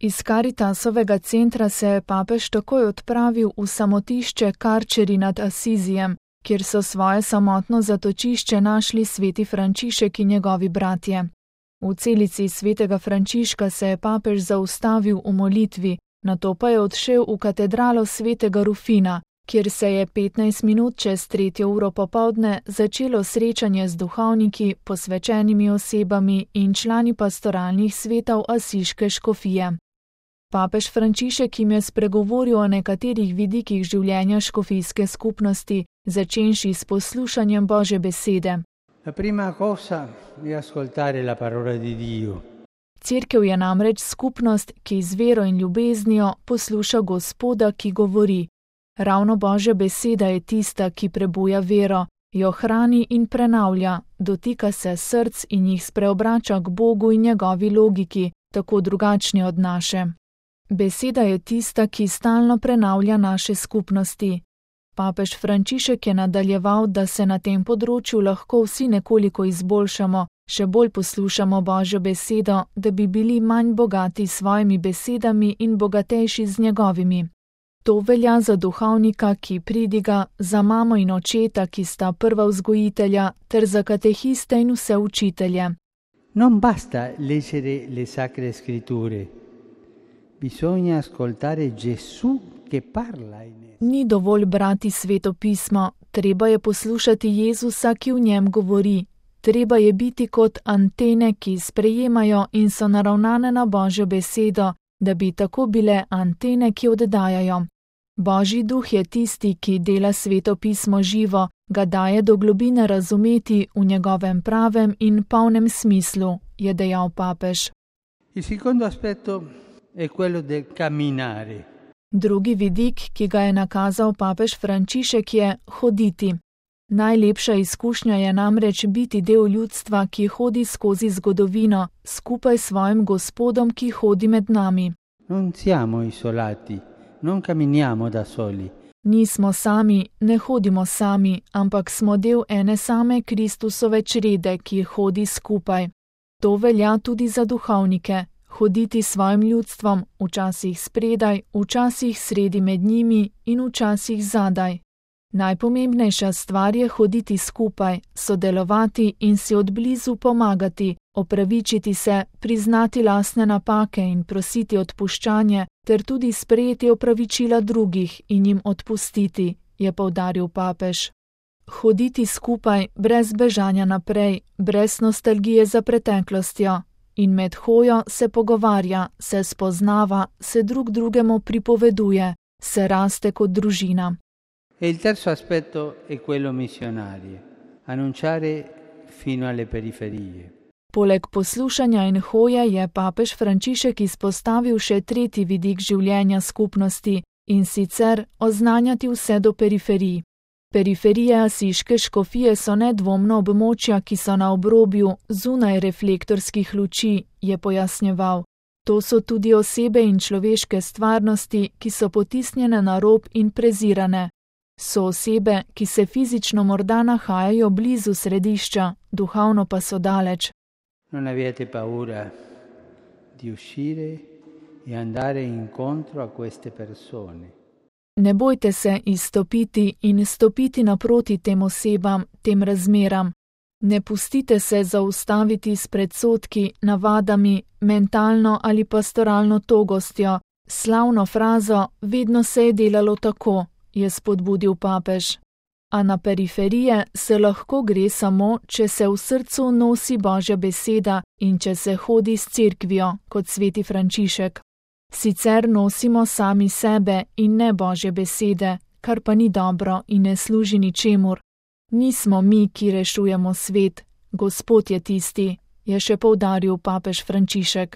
Iz Caritasovega centra se je papež takoj odpravil v samotišče Karčeri nad Asizijem, kjer so svoje samotno zatočišče našli sveti Frančišek in njegovi bratje. V celici svetega Frančiška se je papež zaustavil v molitvi, nato pa je odšel v katedralo svetega Rufina, kjer se je 15 minut čez 3. uro popoldne začelo srečanje z duhovniki, posvečenimi osebami in člani pastoralnih svetov asiške škofije. Papež Frančišek jim je spregovoril o nekaterih vidikih življenja škofijske skupnosti, začenši s poslušanjem Božje besede. La prima cosa è ascoltare la parola di Dio. Cerkev je namreč skupnost, ki z vero in ljubeznijo posluša Gospoda, ki govori. Ravno Božja beseda je tista, ki prebuja vero, jo hrani in prenavlja, dotika se src in jih spreobrača k Bogu in njegovi logiki, tako drugačni od naše. Beseda je tista, ki stalno prenavlja naše skupnosti. Papež Frančišek je nadaljeval, da se na tem področju lahko vsi nekoliko izboljšamo, še bolj poslušamo Božjo besedo, da bi bili manj bogati s svojimi besedami in bogatejši z njegovimi. To velja za duhovnika, ki pridiga, za mamo in očeta, ki sta prva vzgojitelja, ter za katehiste in vse učitelje. Non basta leggere le sacre scritture. Bisogna ascoltare Gesù che parla in esse. Ni dovolj brati sveto pismo, treba je poslušati Jezusa, ki v njem govori. Treba je biti kot antene, ki sprejemajo in so naravnane na Božjo besedo, da bi tako bile antene, ki oddajajo. Božji duh je tisti, ki dela sveto pismo živo, ga daje do globine razumeti v njegovem pravem in polnem smislu, je dejal papež. Il secondo aspetto è quello del camminare. Drugi vidik, ki ga je nakazal papež Frančišek, je hoditi. Najlepša izkušnja je namreč biti del ljudstva, ki hodi skozi zgodovino, skupaj s svojim Gospodom, ki hodi med nami. Non siamo isolati, non camminiamo da soli. Nismo sami, ne hodimo sami, ampak smo del ene same Kristusove črede, ki hodi skupaj. To velja tudi za duhovnike. Hoditi s svojim ljudstvom, včasih spredaj, včasih sredi med njimi in včasih zadaj. Najpomembnejša stvar je hoditi skupaj, sodelovati in si odblizu pomagati, opravičiti se, priznati lastne napake in prositi odpuščanje, ter tudi sprejeti opravičila drugih in jim odpustiti, je poudaril papež. Hoditi skupaj, brez bežanja naprej, brez nostalgije za preteklostjo. In med hojo se pogovarja, se spoznava, se drug drugemu pripoveduje, se raste kot družina. E il terzo aspetto è quello missionario, annunciare fino alle periferie. Poleg poslušanja in hoje je papež Frančišek izpostavil še tretji vidik življenja skupnosti, in sicer oznanjati vse do periferij. Periferije asiške škofije so nedvomno območja, ki so na obrobju, zunaj reflektorskih luči, je pojasnjeval. To so tudi osebe in človeške stvarnosti, ki so potisnjene na rob in prezirane. So osebe, ki se fizično morda nahajajo blizu središča, duhovno pa so daleč. Non avete paura di uscire e andare incontro a queste persone. Ne bojte se izstopiti in stopiti naproti tem osebam, tem razmeram. Ne pustite se zaustaviti s predsodki, navadami, mentalno ali pastoralno togostjo, slavno frazo vedno se je delalo tako, je spodbudil papež. A na periferije se lahko gre samo, če se v srcu nosi Božja beseda in če se hodi s cerkvijo, kot sveti Frančišek. Sicer nosimo sami sebe in ne Božje besede, kar pa ni dobro in ne služi ničemur. Nismo mi, ki rešujemo svet, Gospod je tisti, je še poudaril papež Frančišek.